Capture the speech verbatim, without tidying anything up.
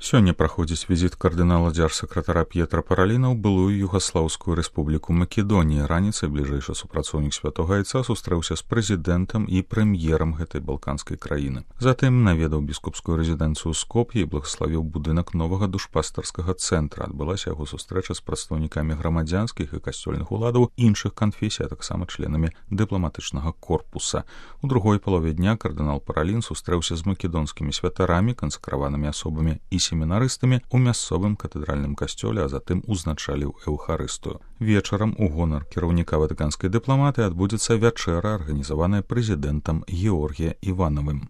Сёння праходзіць візіт кардынала дзяржсакратара П'етра Параліна ў былую Югаслаўскую рэспубліку Македонія. Раніцай бліжэйшы супрацоўнік святога айца сустрэўся з прэзідэнтам і прэм'ерам гэтай балканскай краіны. Затым наведаў біскупскую рэзідэнцыю Скоп'е і благаславіў будынак новага душпастарскага цэнтра. Адбылася яго сустрэча з прадстаўнікамі грамадзянскіх і касцёльных уладаў іншых канфесій, а таксама членамі дыпламатычнага корпуса. У другой палове дня кардынал Паралін сустрэўся з македонскімі святарамі, кансакраванымі асобамі і семінарыстамі ў мясцовым катэдральным касцёле, а затым узначаліў эўхарыстыю. Вечарам у гонар кіраўніка ватыканскай дыпламатыі адбудзецца вячэра, арганізаваная прэзідэнтам Георгія Іванавым.